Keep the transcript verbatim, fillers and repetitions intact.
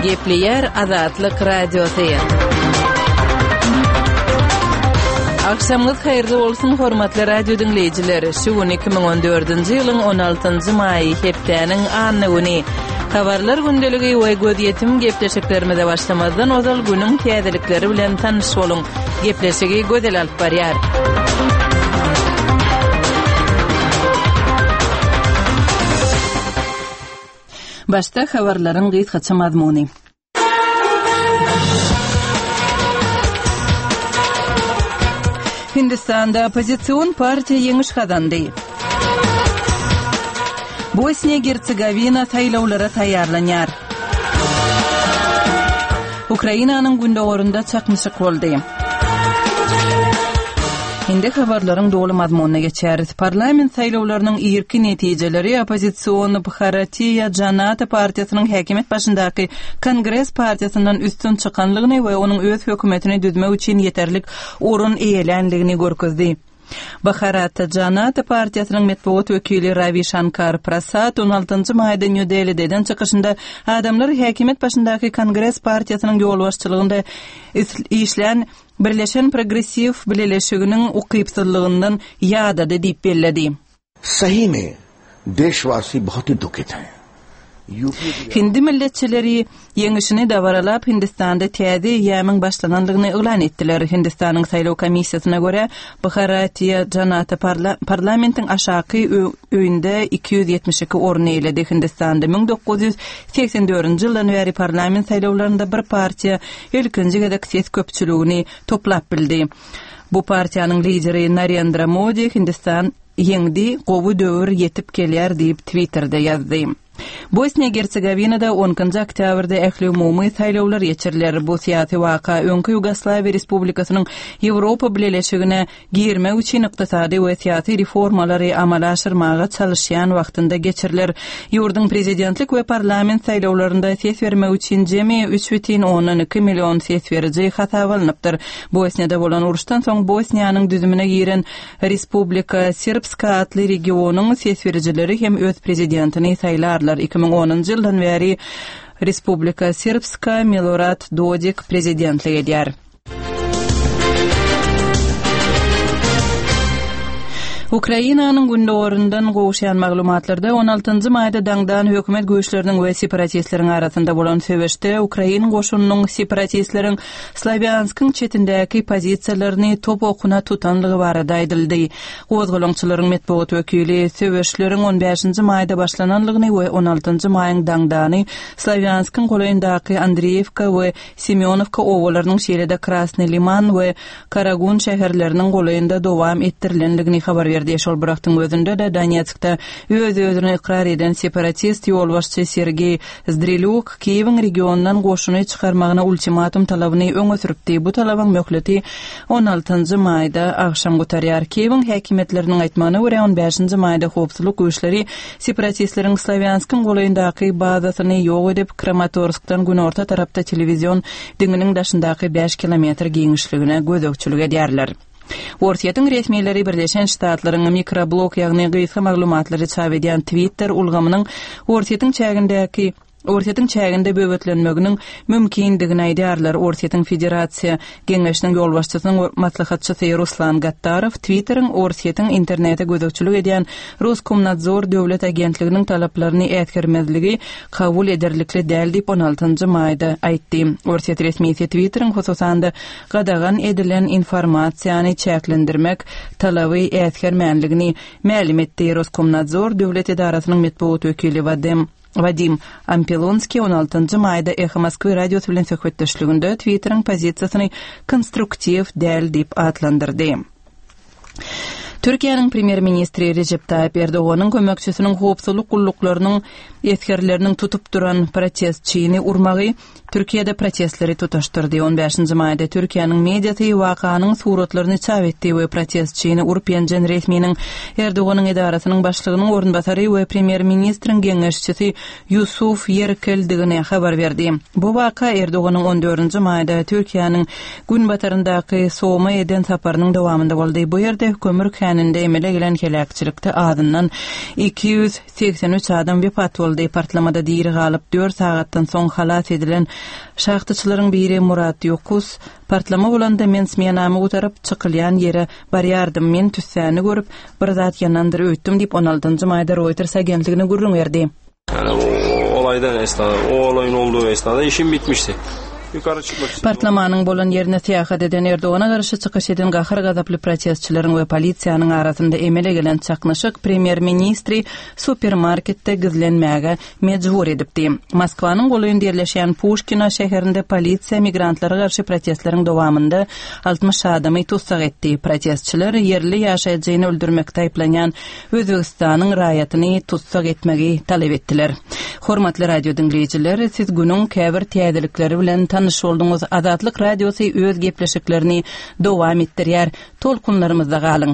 Gepleýär Azatlyk Radiosy. Agşamyňyz haýyrly bolsun, hormatly radio diňleýjiler. Şu gün iki müň on dördünji ýylyň on altynjy maýy, hepdäniň anna güni. Habarlar gündeligi we gözýetim gepleşiklerimize başlamazdan ozal günüň täzelikleri bilen tanyş boluň. Gepleşigi Gözel alyp barýar. Başda habarlaryň gysgaça mazmuny. Hindistanda oppozision partiýa ýeňiş gazandy. Bosniýa-Gersegowina saýlawlara taýýarlanýar. Ukrainanyň gündogarynda çaknyşyk boldy. Indi habarlaryň doly mazmunyna geçýäris. Parlament saýlawlarynyň irki netijeleri oppozision Bharatiýa Janata partiýasynyň häkimiýet başyndaky Kongres partiýasyndan üstün çykanlygyny we onuň öz hökümetini düzmek üçin ýeterlik orun eýelänligini görkezdi. Bharatiýa Janata partiýasynyň metbugat wekili Ravi Şankar Prasad on altynjy maýda Nýu-Delide eden çykyşynda adamlar häkimiýet başyndaky Kongres partiýasynyň ýolbaşçylygynda işlän Birleşen progressiw bileleşiginiň ukypsyzlygyndan ýadady diýip belledi. Sahi mein deşwasi bahut hi dukhit hain. Hindi milletçileri ýeňişini dabaralap, Hindistanda täze eýýamyň başlanandygyny yglan etdiler. Hindistanyň saýlaw komissiýasyna görä, Bharatiýa Janata parlamentiň aşaky öýünde iki ýüz ýetmiş iki orun eýeledi. Hindistanda müň dokuz ýüz segsen dördünji ýyldan bäri parlament saýlawlarynda bir partiýa ilkinji gezek ses köpçüligini toplap bildi. Bu partiýanyň lideri Narendra Modi Hindistan ýeňdi, gowy döwür ýetip gelýär diýip Twitterде ýazdy. Bosniýa-Gersegowinada on ikinji oktýabrda ähli umumy saýlawlar geçiriler. Bu syýasy waka öňki Ýugoslawiýa Respublikasynyň Ýewropa Bileleşigine girmek üçin ykdysady we syýasy reformalary amala aşyrmaga çalyşýan wagtynda geçiriler. Ýurduň prezidentlik we parlament saýlawlarynda ses bermek üçin jemi üç bütin ondan iki million ses beriji hasaba alnypdyr. Bosniýada bolan uruşdan soň Bosniýanyň düzümine giren Respublika Srpska atly regionyň ses berijileri hem öz prezidentini saýlarlar. Iki müň onunjy ýyldan bäri Respublika Srpska Milorad Dodik prezidentlik edýär. Ukrainanyň gündogaryndan gowuşýan maglumatlarda on altynjy maýda daňdan hökümet güýçleriniň we separatistleriň arasynda bolan söweşde Ukrain goşunynyň separatistleriň Slawýanskyň çetindäki pozisiýalaryny top okuna tutanlygy barada aýdyldy. Gozgalaňçylaryň metbugat wekili söweşleriň on bäşinji maýda başlananlygyny we on altynjy maýyň daňdany Slawýanskyň golaýyndaky Andreýewka we Semýonowka obalarynyň şeýle-de Krasny Liman we Karagun şäherleriniň golaýynda dowam etdirilenligini habar berdi. Şol bir wagtyň özünde-de Donetskde öz-özüni ykrar eden separatist ýolbaşçy Sergeý Zdrelýuk Kiýewiň regiondan goşuny çykarmagyna ultimatum talabyny öňe sürüpdi. Bu talabyň möhleti on altynjy maýda agşam gutarýar. Kiýewiň häkimiýetleriniň aýtmagyna görä on bäşinji maýda howpsuzlyk güýçleri separatistleriň Slawýanskyň golaýyndaky bazasyny ýok edip, Kramatorskdan günorta tarapda telewizion diňiniň daşyndaky bäş kilometr giňişligine gözegçilik edýärler. Orsýetiň resmileri Birleşen Ştatlaryň mikroblog, ýagny gysga maglumatlary çap edýän Twitter ulgamynyň Orsýetiň çägindäki Orsýetiň çäginde böwetlenmeginiň mümkindigini aýdýarlar. Orsýetiň Federasiýa Geňeşiniň ýolbaşçysynyň maslahatçysy Ruslan Gattarow Twitteriň Orsýetiň internete gözegçilik edýän Roskomnadzor döwlet agentliginiň talaplaryny äsgermezligi kabul ederlikli däl diýip on altynjy maýda aýtdy. Orsýet resmisi Twitteriň hususan-da gadagan edilen informasiýany çäklendirmek talaby äsgermänligini mälim etdi. Roskomnadzor döwlet edarasynyň metbugat wekili Vadim Vadim Ampelonskiý on altynjy maýda Eho Moskwy radiosy bilen söhbetdeşliginde Twitteriň pozisiýasyny konstruktiw däl diýip atlandyrdy. Türkiýäniň premýer-ministri Recep Tayyip Erdoganyň kömekçisiniň howpsuzlyk gulluklarynyň esgerleriniň tutup duran protestçini urmagy Türkiýede protestleri tutaşdyrdy. on bäşinji maýda Türkiýäniň mediasy wakanyň suratlaryny çap etdi we protestçini urup ýenjen resminiň Erdoganyň edarasynyň başlygynyň orunbasary we premýer-ministriň geňeşçisi Ýusuf Ýerkeldigini habar berdi. Bu waka Erdoganyň on dördünji maýda Türkiýäniň günbataryndaky Soma eden saparynyň dowamynda boldy. Bu ýerde kömür känleri käninde emele gelen heläkçilikde azyndan iki ýüz segsen üç adam wepat boldy. Partlamada diri galyp, dört sagatdan soň halas edilen şahtaçylaryň biri Murat Ýokus, Partlama bolanda men smenamy gutaryp, çykylýan ýere barýardym. Men tüssäni görüp, bir zat ýanandyr öýtdüm diýip, on altynjy maýda Reuters agentligine gürrüň berdi. Yani o olaydan esnada, o olayın olduğu esnada işim bitmişti. Yukarı çıkmak istedim. Partlamanyň bolan ýerine syýahat eden Erdogana garşy çykyş eden gahar-gazaply protestçileriň we polisiýanyň arasynda emele gelen çaknyşyk premýer-ministri supermarketde gizlenmäge mejbur edipdi. Moskwanyň golaýynda ýerleşýän Puşkino şäherinde polisiýa migrantlara garşy protestleriň dowamynda altmyş adamy tussag etdi. Protestçiler ýerli ýaşaýjyny öldürmekde aýyplanýan Özbegistanyň raýatyny tussag etmegi talap etdiler. Hormatly radio diňleýjiler, siz günüň käbir täzelikleri bilen tanyş bolduňyz. Azatlyk radiosy öz gepleşiklerini dowam etdirýär. Tolkunlarymyzda galyň.